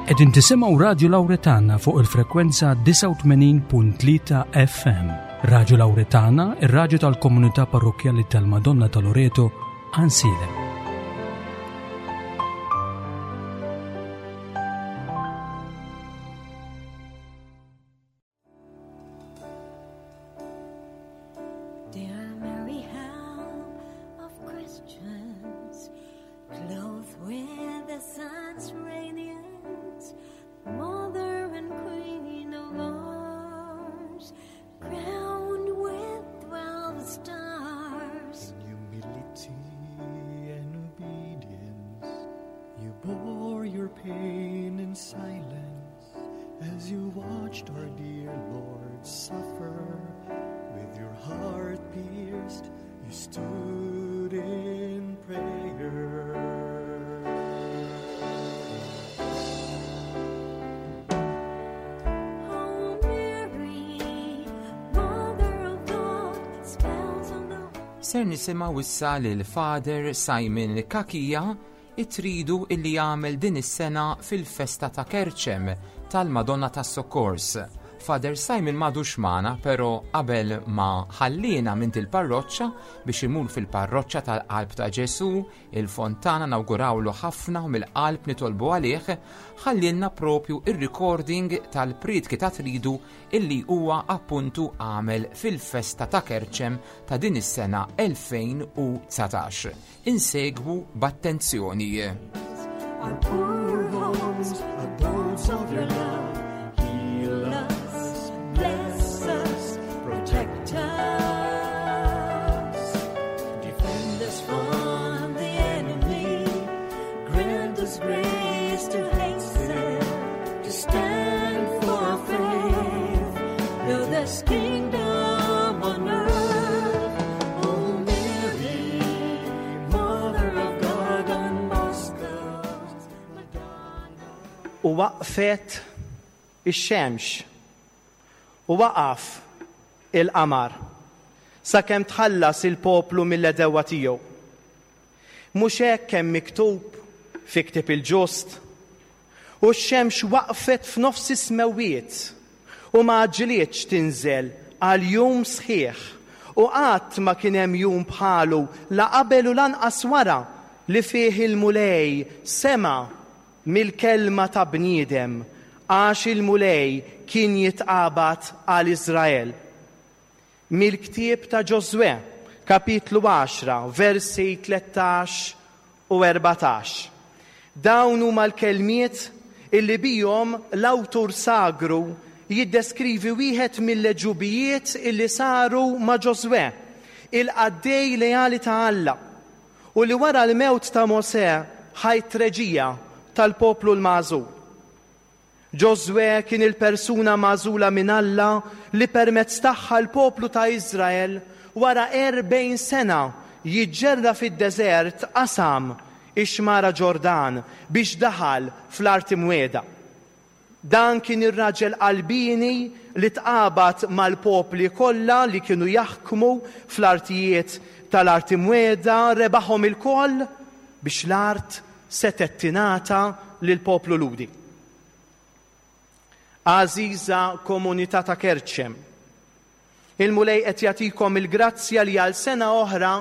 Qegħdin tisimgħu Radju Lawretana fuq il-frekwenza 89.3 FM. Radju Lawretana, ir-radju tal-komunità parrokkjali tal-Madonna ta' Loreto, Ansilem. Dear Mary, help of Christians, clothed with the sun's radiance, mother and queen of ours, crowned with 12 stars. In humility and obedience, you bore your pain in silence as you watched our dear Lord suffer. With your heart pierced, you stood in prayer. Oh Mary, Mother of God, spells on the Ser nisimgħu issa lil Father Simon Cachia it-tridu illi jagħmel din is-sena fil-festa ta' Kerċem tal-Madonna tas-Sokkors. Father Simon m'għadux magħna, però qabel ma ħalliena minn il-parroċċa biex imur fil-parroċċa tal-Qalb ta' Ġesù, il-Fontana nawgurawlu ħafna u mill-qalb nitolbu għalih, ħallielna propju ir-recording tal-prietki ta' tridu illi huwa appuntu għamel fil-festa ta' Kerċem ta' din is-sena 2019. Insegwu b'attenzjoni. Our poor homes, abodes of your love, heal us, bless us, protect us, defend us from the enemy, grant us grace to hasten, to stand for our faith, build this kingdom on earth. O Mary, Mother of God on Moscow's Madonna. U waqfet ix-xemx u waqaf il-qamar sakemm tħallas il-poplu mill-għedewwa tiegħu. Mhux hekk hemm miktub fi ktieb il-ġust? U x-xemx waqfet f'nofs is-smewwiet u ma għaġġlietx tinżel għal jum sħiħ, u qatt ma kien hemm jum bħalu la qabel u lanqas wara li fih il-Mulej sema' mill-kelma ta' bniedem, għax il-Mulej kien jitqabad għal Iżrael. Mill-ktieb ta' Ġożwè, kapitlu 10, versi 13 u 14. Dawn huma l-kelmiet illi bihom l-awtur sagru jiddeskrivi wieħed mill-għeġubijiet illi saru ma' Ġożwè, il-qaddej leali ta' Alla, u li wara l-mewt ta' Mosè ħa t-treġija tal-poplu l-magħżul. Ġożwè kien il-persuna magħżula minn Alla li permezz tagħha l-poplu ta' Iżrael wara 40 sena jiġġerra fid-deżert qasam ix-xmara Ġordan biex daħal fl-art imwiegħda. Dan kien ir-raġel qalbieni li tqabad mal-popli kollha li kienu jaħkmu fl-artijiet tal-art imwiegħda, rebaħhom ilkoll biex l-art setgħet tingħata lill-poplu Lhudi. Għażiża komunità ta' Kerċem, il-Mulej qed jagħtikom il-grazzja li għal sena oħra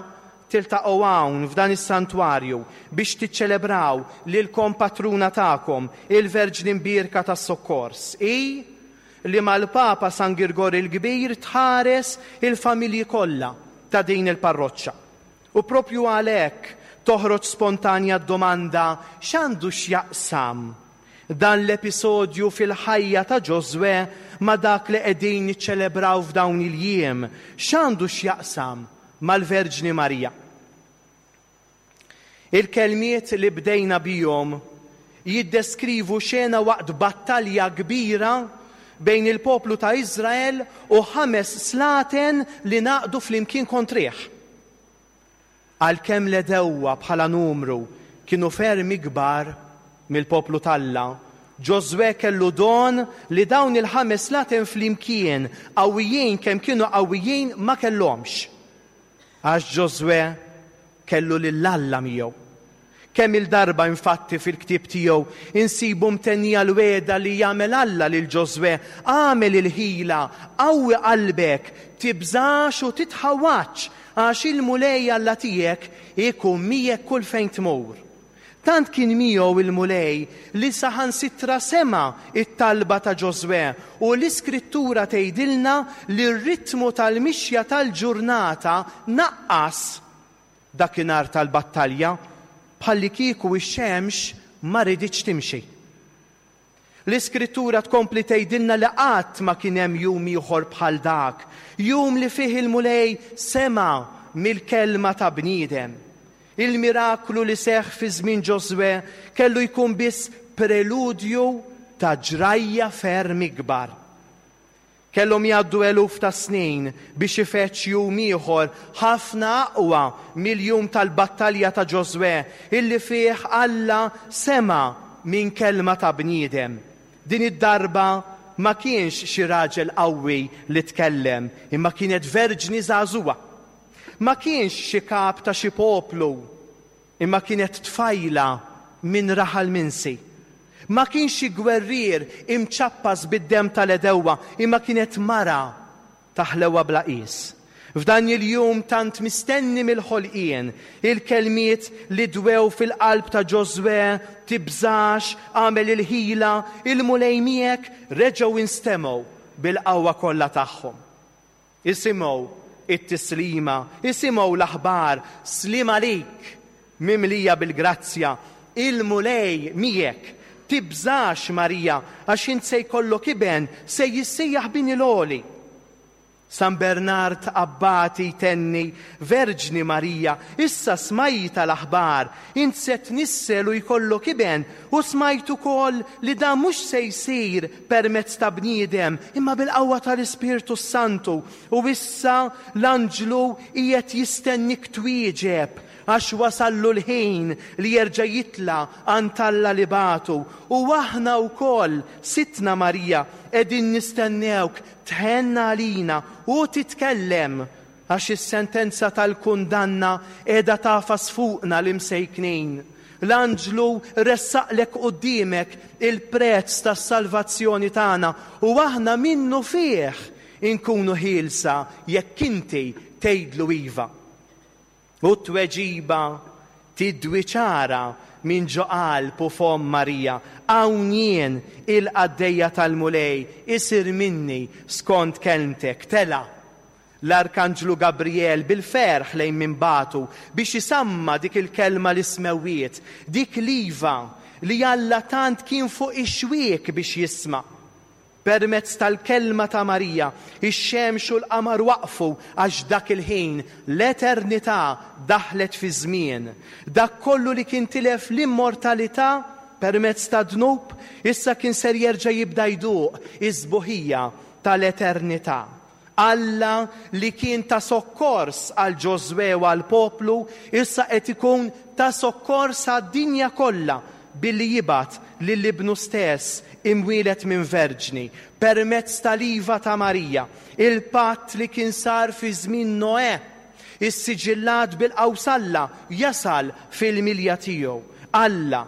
tiltaqgħu hawn f'dan is-santwarju biex tiċċelebraw lil kompatruna tagħkom, il-Verġni Mbierka tas-Sokkors, i li mal-Papa San Girgor il-Kbir tħares il-familji kollha ta' din il-parroċċa. U propju għalhekk toħroġ spontanja d-domanda x'għandu x'jaqsam dan l-episodju fil-ħajja ta' Ġożwè ma' dak li qegħdin niċċelebraw f'dawn il-jiem, x'għandu x'jaqsam mal-Verġni Marija. Il-kelmiet li bdejna bihom jiddeskrivu xena waqt battalja kbira bejn il-poplu ta' Iżrael u 5 slaten li naqdu flimkien kontrih. Għalkemm l-għedewwa bħala numru kienu ferm ikbar mill-poplu t'Alla, Ġożwè kellu don li dawn il-5 slaten flimkien qawwijin kemm kienu qawwijin ma kellhomx. Għax Ġożwè kellu lil Alla miegħu. Kemm-il darba infatti fil-ktieb tiegħu insibu mtennija l-wegħda li jagħmel Alla lil Ġożwè, Agħmel il-ħila, qawwi qalbek, tibżax u titħawwadx, għax il-Mulej Alla tiegħek ikun miegħek kull fejn tmur. Tant kien miegħu il-Mulej li saħansitra sema' t-talba ta' Ġożwè u l-Iskrittura tgħidilna li r-ritmu tal-mixja tal-ġurnata naqqas dakinhar tal-battalja bħallikieku x-xemx ma riditx timxi. L-Iskrittura tkompli tgħidilna li qatt ma kien hemm jum ieħor bħal dak, jum li fih il-Mulej sema' mill-kelma ta' bniedem. Il-miraklu li seħħ fi żmien Ġożwè kellu jkun biss preludju ta' ġrajja ferm ikbar. Kellhom jgħaddu eluf ta' snin biex ifeġġ jum ieħor ħafna aqwa mill-jum tal-battalja ta' Ġożwè illi fih Alla sema' minn kelma ta' bniedem. Din id-darba ma kienx xi raġel qawwi li tkellem, imma kienet verġni żagħżugħa. Ma kienx xi kap ta' xi poplu, Imma kienet tfajla minn raħal minsi. Ma kienx xi gwerrier imċappas bid-demm tal-għedewwa, imma kienet mara ta' ħlewwa bla qies. F'dan il-jum tant mistenni mill-ħolqien, il-kelmiet li dwew fil-qalb ta' Ġożwè, Tibżax, agħmel il-ħila, il-Mulej miegħek, reġgħu instemgħu bil-qawwa kollha tagħhom. Isimgħu t-tislima, isimgħu l-aħbar, Sliem għalik, mimlija bil-grazzja, il-Mulej miegħek. Tibżax, Marija, għax int se jkollok iben, se jissejjaħ Bin il-Għoli. San Bernard Abbati jtenni, Verġni Marija, issa smajtha l-aħbar, int se tnissel u jkollok iben, u smajt ukoll li dan mhux se jsir permezz ta' bniedem, imma bil-qawwa tal-Ispirtu s-Santu, u issa l-anġlu qiegħed jistennik twieġeb, għax wasallu l-ħin li jerġa' jitla' għand Alla li bagħtu, u aħna wkoll, Sidtna Marija, qegħdin nistennewk tħenn għalina u titkellem Għax is-sentenza tal-kundanna qiegħda tagħfas fuqna l-imsejknin. L-anġlu ressaqlek quddiemek il-prezz tas-salvazzjoni tagħna u aħna minnufih inkunu ħielsa jekk inti tgħidlu iva. U t-tweġiba tidwi ċara minn ġo qalb u fomm Marija, Hawn jien, il-qaddejja tal-Mulej, isir minni skont kelmtek. Tela' l-Arkanġlu Gabriel bil-ferħ lejn min bagħtu biex isamma' dik il-kelma lis-smewwiet, dik l-iva li Alla tant kien fuq ix-xwiek biex jisma'. Permezz tal-kelma ta' Marija, ix-xemx u l-qamar waqfu għax dak il-ħin l-eternità daħlet fiż-żmien. Dak kollu li kien tilef l-immortalità permezz tad-dnub, issa kien ser jerġa' jibda jduq is-sbuħija tal-eternità. Alla li kien ta' sokkors għal Ġożwè u għall-poplu, issa qed ikun ta' sokkors għad-dinja kollha billi jibgħat lil Ibnu stess imwieled minn verġni, permezz tal-iva ta' Marija, il-patt li kien sar fi żmien Noè, issiġillat bil-qaws Alla jasal fil-milja tiegħu. Alla,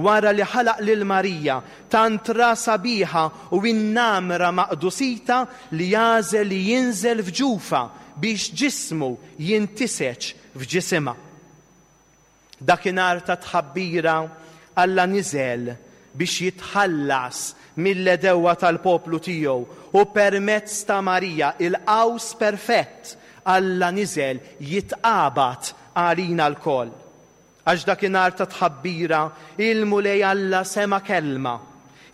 Wara li ħalaq lil Marija, tant ra sabiħa u innamra ma' qdusitha li għażel li jinżel f'ġufha biex ġismu jintiseġ f'ġisimha. Dakinhar ta' tħabbira Alla niżel biex jitħallas mill-għedewwa tal-poplu tiegħu u permezz ta' Marija, il-qaws perfett, Alla niżel jitqabad għalina lkoll. Għax dakinhar ta' tħabbira, il-Mulej Alla sema' kelma,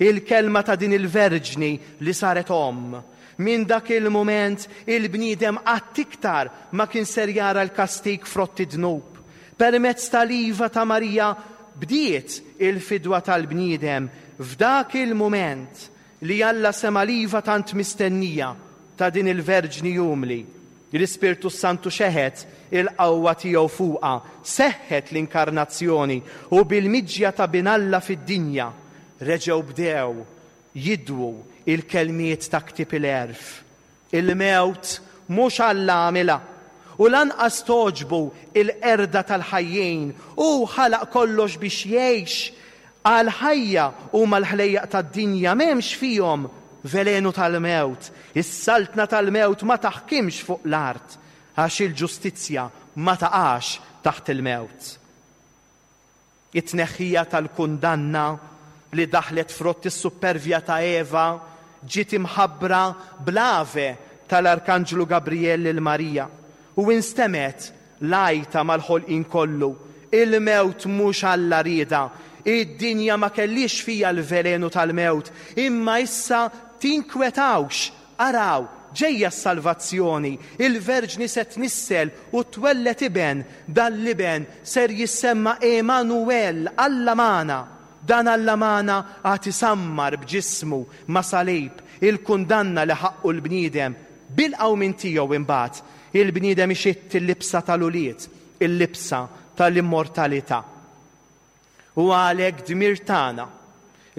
il-kelma ta' din il-verġni li saret omm. Minn dak il-mument, il-bniedem qatt iktar ma kien ser jara l-kastig frott id-dnub. Permezz tal-iva ta' Marija bdiet il-fidwa tal-bniedem f'dak il-mument li Alla sema' l-iva tant mistennija ta' din il-verġni umli. L-Ispirtu s-Santu xeħet il-qawwa tiegħu fuqha, seħħet l-Inkarnazzjoni u bil-miġja ta' Bin Alla fid-dinja, reġgħu bdew jidwu l-kelmiet ta' Ktieb il-Għerf. Il-mewt mhux Alla għamilha. U lanqas togħġbu l-qerda tal-ħajjin. Hu ħalaq kollox biex jgħix. Għall-ħajja huma l-ħlejjaq tad-dinja, m'hemmx fihom velenu tal-mewt. Is-saltna tal-mewt ma taħkimx fuq l-art, għax il-ġustizzja ma taqax taħt il-mewt. It-tneħħija tal-kundanna li daħlet frott is-suppervja ta' Eva ġiet imħabbra bl-Ave tal-Arkanġlu Gabrijel lil Marija, u instemgħet l-għajta mal-ħolqien kollu, Il-mewt mhux Alla riedha, id-dinja ma kellhiex fiha l-velenu tal-mewt, imma issa tinkwetawx, araw, ġejja s-salvazzjoni, il-Verġni se tnissel u twelled iben, dan l-iben ser jissemma Għemanuwel, Alla magħna. Dan Alla magħna għad isammar b'ġismu ma' salib il-kundanna li ħaqqu l-bniedem. Bil-qawmien tiegħu imbagħad, il-bniedem ixitt il-libsa tal-ulied, il-libsa tal-immortalità. Huwa għalhekk dmir tagħna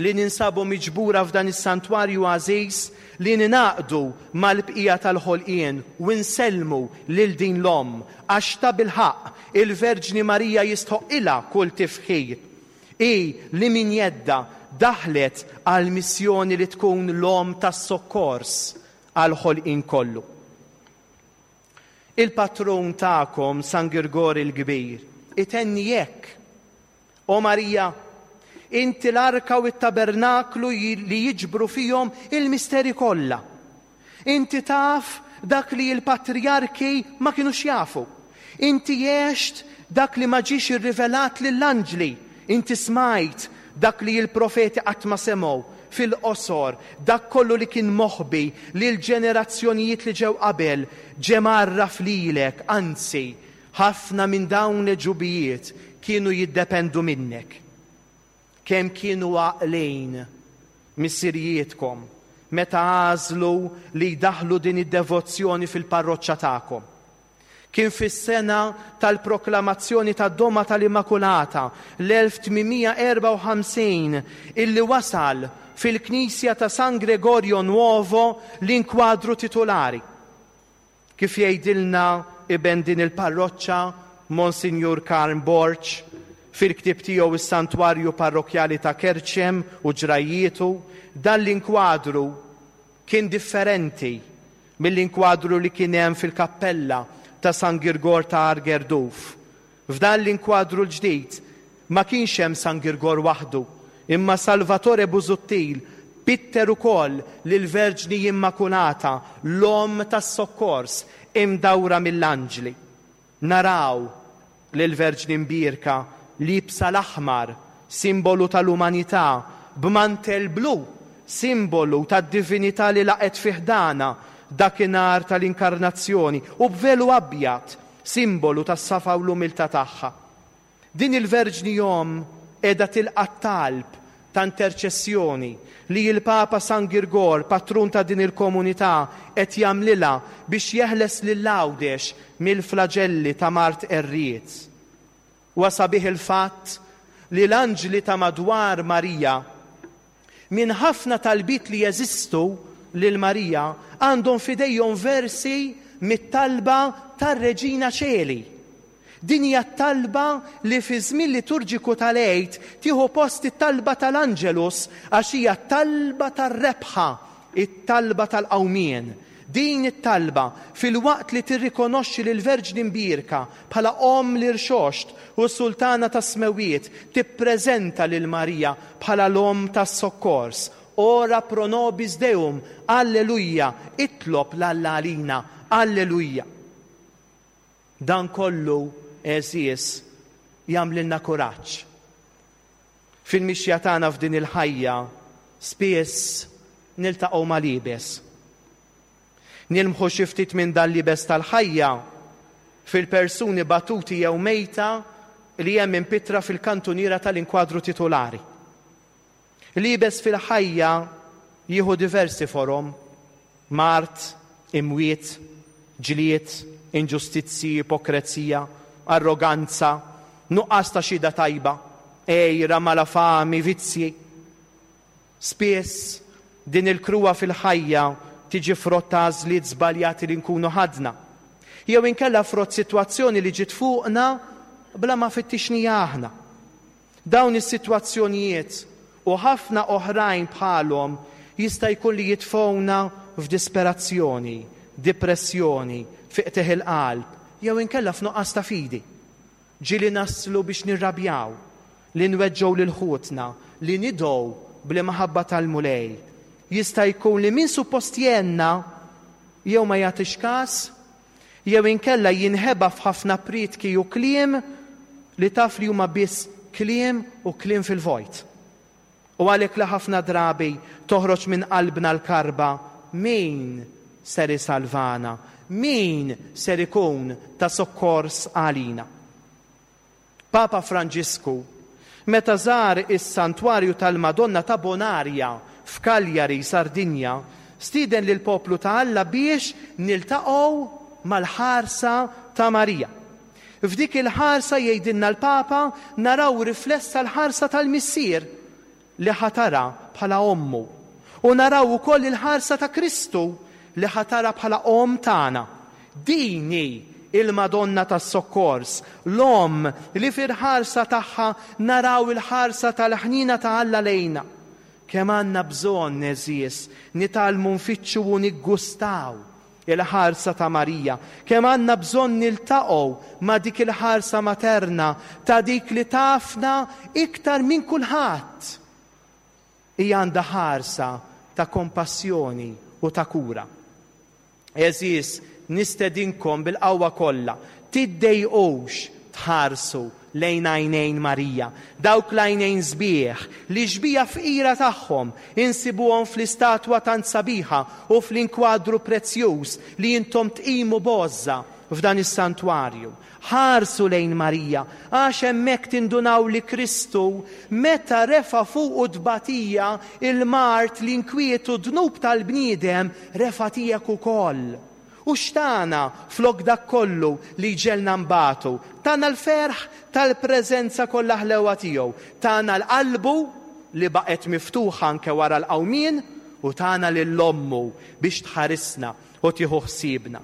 li ninsabu miġbura f'dan is-santwarju għażiż li ningħaqdu mal-bqija tal-ħolqien u nsellmu lil din l-Omm, għax tabilħaqq il-Verġni Marija jistħoqqilha kull tifħir. Hi li minn jeddha daħlet għall-missjoni li tkun l-Omm tas-Sokkors għall-ħolqien kollu. Il-patrun tagħkom San Girgor il-Kbir itenni hekk, O Marija, inti l-arka u t-tabernaklu li jiġbru fihom il-misteri kollha. Inti taf dak li l-patrijarki ma kinux jafu. Inti għext dak li ma ġiex irrivelat lill-anġli. Inti smajt dak li l-profeti qatt ma semgħu. Fil-qosor, dak kollu li kien moħbi lill-ġenerazzjonijiet li ġew qabel ġie mgħarraf lilek, anzi, ħafna minn dawn l-għeġubijiet kienu jiddependu minnek. Kemm kienu għaqlin missirijietkom meta għażlu li jdaħħlu din id-devozzjoni fil-parroċċa tagħkom. Kien fis-sena tal-proklamazzjoni tad-Doma tal-Immakulata, l-1854, illi wasal fil-knisja ta' San Gregorio Nuovo l-inkwadru titulari. Kif jgħidilna iben din il-parroċċa, Monsinjur Karm Borg, fil-ktieb tiegħu Is-Santwarju Parrokkjali ta' Kerċem u Ġrajjietu, dan l-inkwadru kien differenti mill-inkwadru li kien hemm fil-kappella ta' San Girgor ta' Għar Gerduf. F'dan l-inkwadru l-ġdid ma kienx hemm San Girgor waħdu, imma Salvatore Busuttil pitter ukoll lill-Verġni Immakulata, l-Omm tas-Sokkors, imdawra mill-anġli. Naraw lill-Verġni Mbierka liebsa l-aħmar, simbolu tal-umanità, b'mantell blu, simbolu tad-divinità li laqgħet fi ħdanha dakinhar tal-Inkarnazzjoni, u b'velu abjad, simbolu tas-safa u l-umiltà tagħha. Din il-Verġni Omm qiegħda tilqa' t-talb ta' interċessjoni li l-Papa San Girgor, patrun ta' din il-komunità, qed jagħmlilha biex jeħles lil Għawdex mill-flaġelli ta' mard qerried. Huwa sabiħ il-fatt li l-anġli ta' madwar Marija, minn ħafna talbiet li jeżistu lil Marija, għandhom f'idejhom versi mit-talba tar-Reġina Ċeli. Din hija t-talba li fiż-żmien liturġiku tal-Għid tieħu post it-talba tal-Angelus għax hija t-talba tar-rebħa, it-talba tal-qawmien. Din it-talba, filwaqt li tirrikonoxxi lill-Verġni Mbierka bħala Omm l-Irxoxt u Sultana tas-Smewwiet, tippreżenta lil Marija bħala l-Omm tas-Sokkors. Ora pro nobis Deum, Alleluja, itlob 'l Alla għalina, Alleluja. Dan kollu, għeżież, jagħmlilna kuraġġ. Fil-mixja tagħna f'din il-ħajja, spiss niltaqgħu mal-iebes. Nilmħu xi ftit minn dan l-iebes tal-ħajja fil-persuni batuti jew mejta li hemm impittra fil-kantuniera tal-inkwadru titulari. L-iebes fil-ħajja jieħu diversi forom, mard, imwiet, ġlied, inġustizzji, ipokrezija, arroganza, nuqqas ta' xhieda tajba, għira, malafami, vizzji. Spiss, din il-kruha fil-ħajja tiġi frott ta' għażliet żbaljati li nkunu ħadna. Jew inkella frott sitwazzjoni li ġiet fuqna bla ma fittixnija aħna. Dawn is-sitwazzjonijiet u ħafna oħrajn bħalhom jista' jkun li jitfgħuna f'disperazzjoni, dipressjoni, fi qtigħ il-qalb, jew inkella f'nuqqas ta' fidi. Ġieli naslu biex nirrabjaw, li nweġġgħu lil ħutna, li nidgħu bl-imħabba tal-Mulej. Jista' jkun li min suppost jgħinna jew ma jagħtix kas, jew inkella jinħeba f'ħafna prietki u kliem li taf li huma biss kliem u kliem fil-vojt. U għalhekk li ħafna drabi toħroġ minn qalbna l-karba, min ser isalvana? Min ser ikun ta' sokkors għalina? Papa Franġisku, meta żar is-Santwarju tal-Madonna ta' Bonaria f'Cagliari, Sardinja, stieden lill-poplu ta' Alla biex niltaqgħu mal-ħarsa ta' Marija. F'dik il-ħarsa, jgħidilna l-Papa, naraw riflessa l-ħarsa tal-Missier li ħatarha bħala ommu. U naraw ukoll il-ħarsa ta' Kristu li ħatarha bħala omm tagħna. Din hi il-Madonna tas-Sokkors, l-Omm li fil-ħarsa tagħha naraw il-ħarsa tal-ħniena ta' Alla lejna. Kemm għandna bżonn, għeżież, nitgħallmu nfittxu u niggustaw il-ħarsa ta' Marija. Kemm għandna bżonn niltaqgħu ma' dik il-ħarsa materna ta' dik li tafna iktar minn kulħadd. Hija għandha ħarsa ta' kompassjoni u ta' kura. Għeżież, nistedinkom bil-qawwa kollha, tiddejqux tħarsu lejn għajnejn Marija, dawk l-għajnejn sbieħ li x-xbieha fqira tagħhom insibuhom fl-istatwa tant sabiħa u fl-inkwadru prezzjuż li intom tqimu b'għożża f'dan is-santwarju. Ħarsu lejn Marija, għax hemmhekk tindunaw li Kristu, meta refa' fuqu t-tbatija, il-mard, l-inkwiet u d-dnub tal-bniedem, refa' tiegħek ukoll. U x'tana flok dak kollu li jġegħelna nbatu? Tana l-ferħ tal-preżenza kollha ħlewwa tiegħu. Tana l-qalbu li baqgħet miftuħa anke wara l-qawmien u tana lil ommu biex tħarisna u tieħu ħsiebna.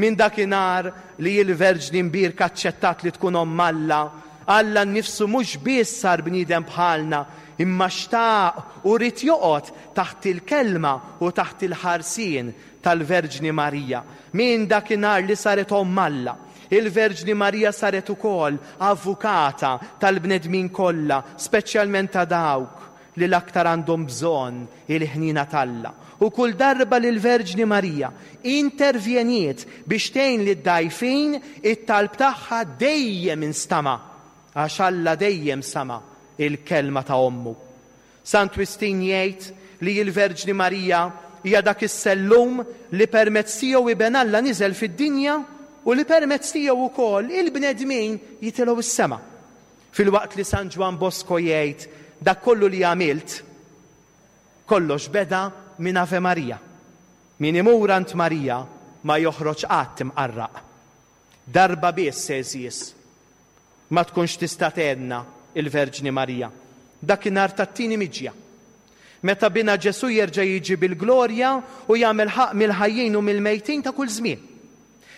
Minn dakinhar li l-Verġni Mbierka aċċettat li tkun Omm Alla, Alla nnifsu mhux biss sar bniedem bħalna, imma xtaq u ried joqgħod taħt il-kelma u taħt il-ħarsien tal-Verġni Marija. Minn dakinhar li saret Omm Alla, il-Verġni Marija saret ukoll avukata tal-bnedmin kollha, speċjalment ta' dawk li l-aktar għandhom bżonn il-ħniena t'Alla. U kull darba li l-Verġni Marija intervjeniet biex tgħin lid-dgħajfin, it-talb tagħha dejjem instama', għax Alla dejjem sama' il-kelma ta' ommu. Sant Wistin jgħid li l-Verġni Marija hija dak is-sellum li permezz tiegħu Iben Alla niżel fid-dinja u li permezz tiegħu wkoll il-bnedmin jitilgħu s-sema. Filwaqt li San Ġwann Bosco jgħid dak kollu li għamilt, kollox beda minn Ave Maria. Min imur għand Marija ma joħroġ qatt imqarraq. Darba biss, għeżież, ma tkunx tista' tgħinna l-Verġni Marija, dakinhar tat-tieni miġja. Meta Binha Ġesù jerġa' jiġi bil-glorja u jagħmel ħaqq mill-ħajjin u mill-mejtin ta' kull żmien.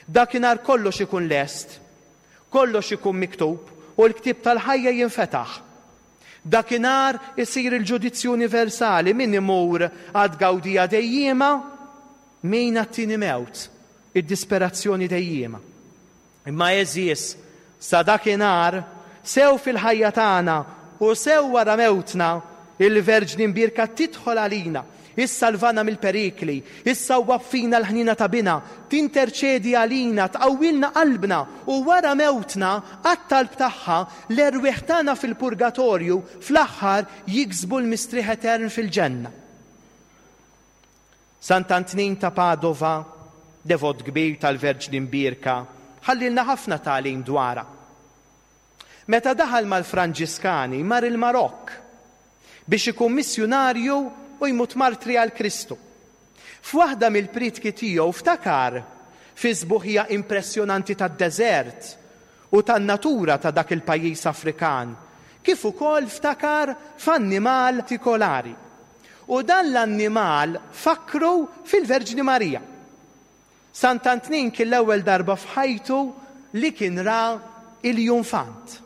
Dakinhar kollox ikun lest. Kollox ikun miktub u l-ktieb tal-ħajja jinfetaħ. Dakinhar isir il-ġudizzju universali, min imur għat-tgawdija dejjiema, min għat-tieni mewt, id-disperazzjoni dejjiema. Imma għeżież, sa dakinhar, sew fil-ħajja tagħna u sew wara mewtna, Il-Verġni Mbierka tidħol għalina, issalvana mill-perikli, issawwab fina l-ħniena ta' Binha, tinterċedi għalina, tqawwilna qalbna u wara mewtna, għat-talb tagħha, l-erwieħ tagħna fil-purgatorju fl-aħħar jiksbu l-mistrieħ etern fil-ġenna. Sant'Antnin ta' Padova, devot kbir tal-Verġni Mbierka, ħallielna ħafna tagħlim dwarha. Meta daħal mal-Franġiskani mar il-Marokk biex ikun missjunarju u jmut martri għal Kristu. F'waħda mill-prietki tiegħu ftakar fis-sbuħija impressjonanti tad-deżert u tan-natura ta' dak il-pajjiż Afrikan, kif ukoll ftakar f'annimal partikolari. U dan l-annimal fakkru fil-Verġni Marija. Sant'Antnin kien l-ewwel darba f'ħajtu li kien ra iljunfant.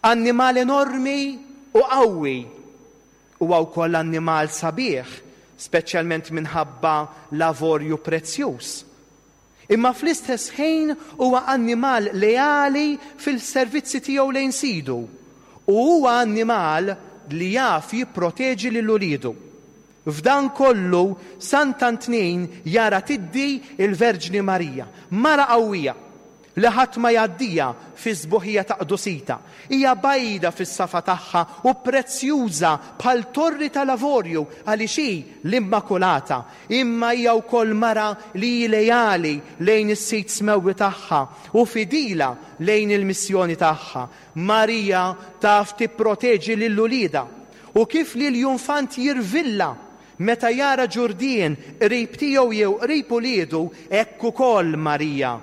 Annimal enormi u qawwi. Huwa wkoll annimal sabiħ, speċjalment minħabba l-avorju prezzjuż. Imma fl-istess ħin huwa annimal leali fil-servizzi tiegħu lejn sidu u huwa annimal li jaf jipproteġi lil uliedu. F'dan kollu Sant'Antnin jara tiddi l-Verġni Marija, mara qawwija, li ħadd ma jgħaddiha fis-sbuħija ta' qdusitha. Hija bajda fis-safa tagħha u prezzjuża bħal torri tal-avorju għaliex hi l-Immakulata. Imma hija wkoll mara li hi leali lejn is-Sid Smewwi tagħha u fidila lejn il-missjoni tagħha. Marija taf tipproteġi lil uliedha u kif l-iljunfant jirvilla meta jara ġurdien qrib tiegħu jew qrib uliedu, hekk ukoll Marija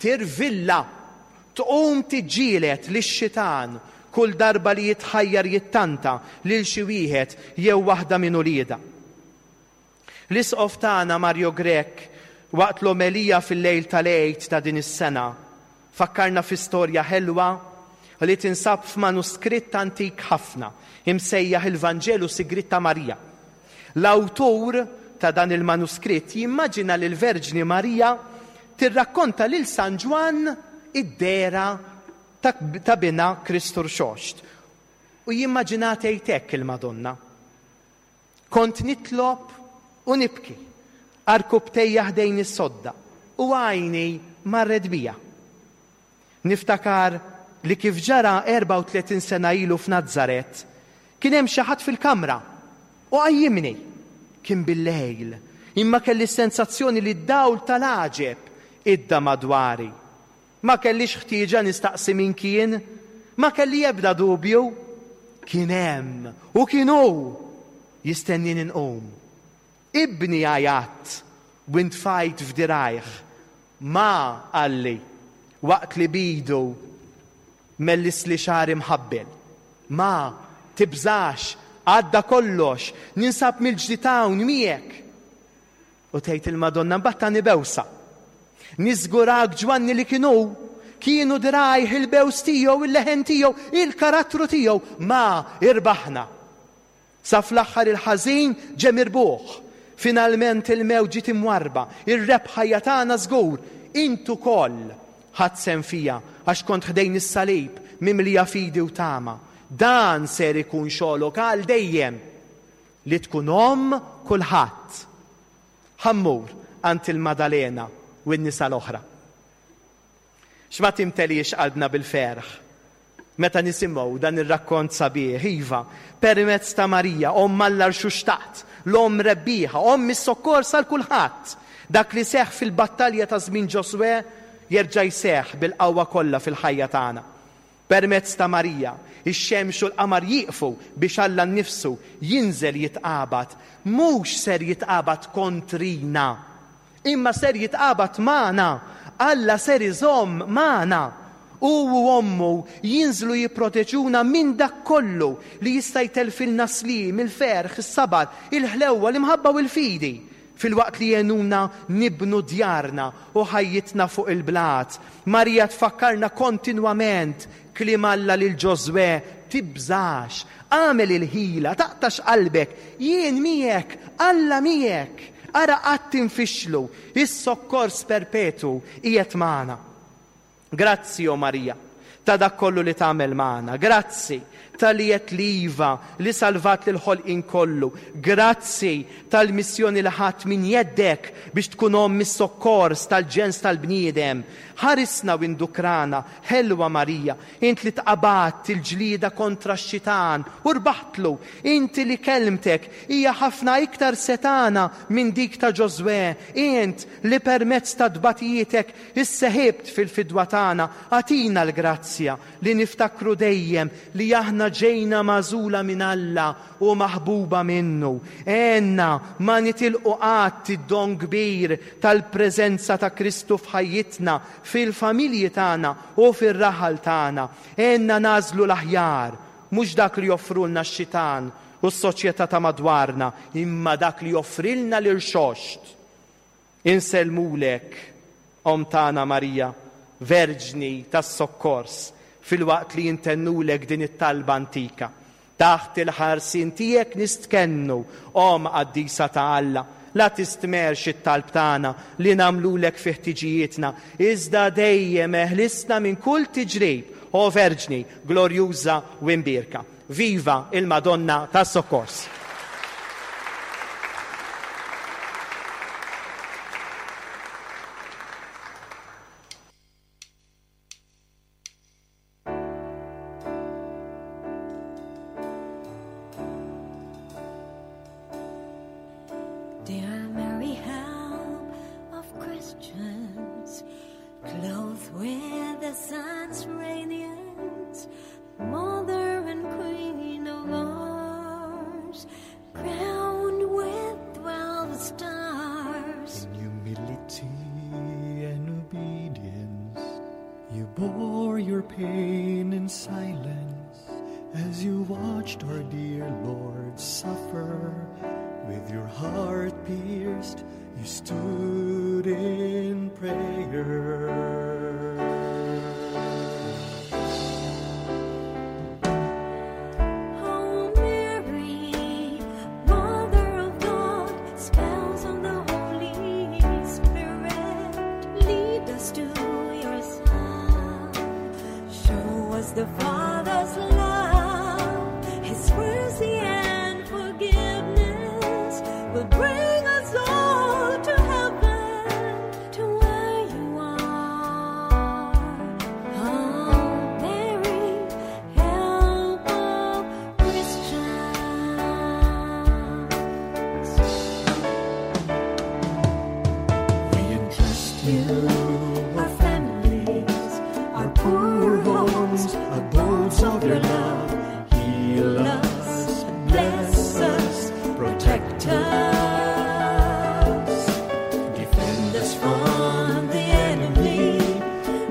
tirvilla, tqum tiġġieled lix-xitan kull darba li jitħajjar jittanta lil xi wieħed jew waħda minn uliedha. L-Isqof tagħna Mario Grech waqt l-omelija fil-lejl tal-Għid ta' din is-sena fakkarna fi storja ħelwa li tinsab f'manuskritt antik ħafna imsejjaħ il-Vanġelu Sigriet ta' Marija. L-awtur ta' dan il-manuskritt jimmaġina lill-Verġni Marija tirrakkonta lil San Ġwann id-dehra ta' binha Kristu Rxoxt. U jimmaġinaha tgħid hekk il-Madonna, Kont nitlob u nibki, għarkupptejja ħdejn is-sodda, u għajni marret bija. Niftakar li kif ġara 34 sena ilu f'Nazaret, kien hemm xi ħadd fil-kamra u qajjimni. Kien bil-lejl, imma kelli s-sensazzjoni li d-dawl tal-għaġeb idda madwari. Ma kellix ħtieġa nistaqsi min kien, ma kelli ebda dubju. Kien hemm, u kien hu, jistennieni nqum. Ibni għajjatt u ntfajt f'dirgħajh. Ma, qalli, waqt li b'idu mellisli xagħri mħabbel. Ma, tibżax, għadda kollox, ninsab mill-ġdid hawn miegħek. U tgħid il-Madonna mbagħad tani bewsa. Niżgurak Ġwanni li kien hu, kienu dirgħajh, il-bews tiegħu, il-leħen tiegħu, il-karattru tiegħu. Ma, irbaħna. Sa fl-aħħar il-ħażin ġe mirbuħ. Finalment il-mewt ġiet imwarrba. Ir-rebħa hija tagħna żgur. Int ukoll ħadt sehem fiha għax kont ħdejn is-salib mimlija fidi u tama. Dan ser ikun xogħlok għal dejjem, li tkun omm kulħadd. Ħa mmur għand il-Madalena u n-nisa l-oħra. X'ma timteliex qalbna bil-ferħ meta nisimgħu dan ir-rakkont sabiħ, iva, permezz ta' Marija, Omm Alla rxuxtat, l-Omm rebbieħa, Omm is-sokkors għal kulħadd. Dak li seħħ fil-battalja ta' żmien Ġożwè jerġa' jseħħ bil-qawwa kollha fil-ħajja tagħna. Permezz ta' Marija, ix-xemx u l-qamar jieqfu biex Alla nnifsu jinżel jitqabad, mhux ser jitqabad kontrina, Imma ser jitqabad magħna. Alla ser iżomm magħna. Hu u ommu jinżlu jipproteġuna minn dak kollu li jista' jtellfilna s-sliem, il-ferħ, is-sabar, il-ħlewwa, l-imħabba u l-fidi, filwaqt li jgħinuna nibnu djarna u ħajjitna fuq il-blat. Marija tfakkarna kontinwament Kliem Alla lil Ġożwè, Tibżax, agħmel il-ħila, taqtax qalbek, jien miegħek, Alla miegħek. Ara qatt tinfixlu, is-sokkors perpetwu qiegħed magħna. Grazzi, o Marija, ta' dak kollu li tagħmel magħna. Grazzi talli għedt li iva li salvat lill-ħolqien kollu. Grazzi tal-missjoni li ħadt minn jeddek biex tkun omm is-sokkors tal-ġens tal-bniedem. Ħarisna u indukrana, Ħelwa Marija, int li tqabadt il-ġlieda kontra x-xitan u rbaħtlu, inti li kelmtek hija ħafna iktar setgħana minn dik ta' Ġożwè, int li permezz ta' tbatijietek isseħibt fil-fidwa tagħna, agħtina l-grazzja li niftakru dejjem li aħna ġejna magħżula minn Alla u maħbuba minnu. Għenna ma nitilqu qatt id-don kbir tal-preżenza ta' Kristu f'ħajjitna, fil-familji tagħna u fir-raħal tagħna. Għenna nagħżlu l-aħjar, mhux dak li joffrulna x-xitan u s-soċjetà ta' madwarna, imma dak li joffrilna l-Irxoxt. Insellmulek, Omm tagħna Marija, Verġni tas-Sokkors, filwaqt li intennulek din it-talba antika. Taħt il-ħarsien tiegħek nistkennu, Omm qaddisa ta' Alla, la tistmerrx it-talb tagħna li nagħmlulek fi ħtiġijietna, iżda dejjem eħlisna minn kull tiġrib, O Verġni glorjuża u imbierka. Viva il-Madonna tas-Sokkors! Dear Mary, help of Christians, clothed with the sun's radiance, Mother and Queen of ours, crowned with 12 stars. In humility and obedience, you bore your pain in silence as you watched our dear Lord suffer. With your heart pierced, you stood in prayer. O Mary, Mother of God, spouse of the Holy Spirit, lead us to your Son. Show us the Father's love, His mercy and forgiveness will bring us all to heaven, to where you are. Oh, Mary, help of Christians. We entrust you, Our families, our poor homes, abodes of your love. Heal us, bless us, protect us. Defend us from the enemy.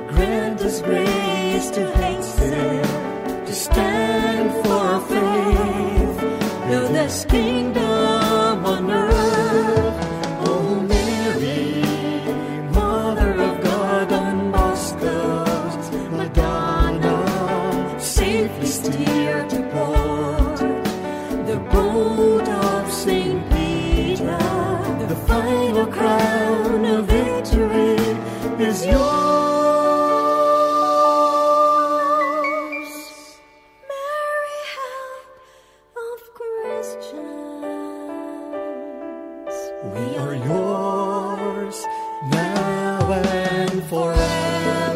Grant us grace to hasten, to stand for our faith. Build this kingdom on earth. O Mary, Mother of God, Don Bosco's Madonna, safely steer to port. The boat of Saint Peter, the final crown of victory is yours. Mary, help of Christians. We are yours now and forever.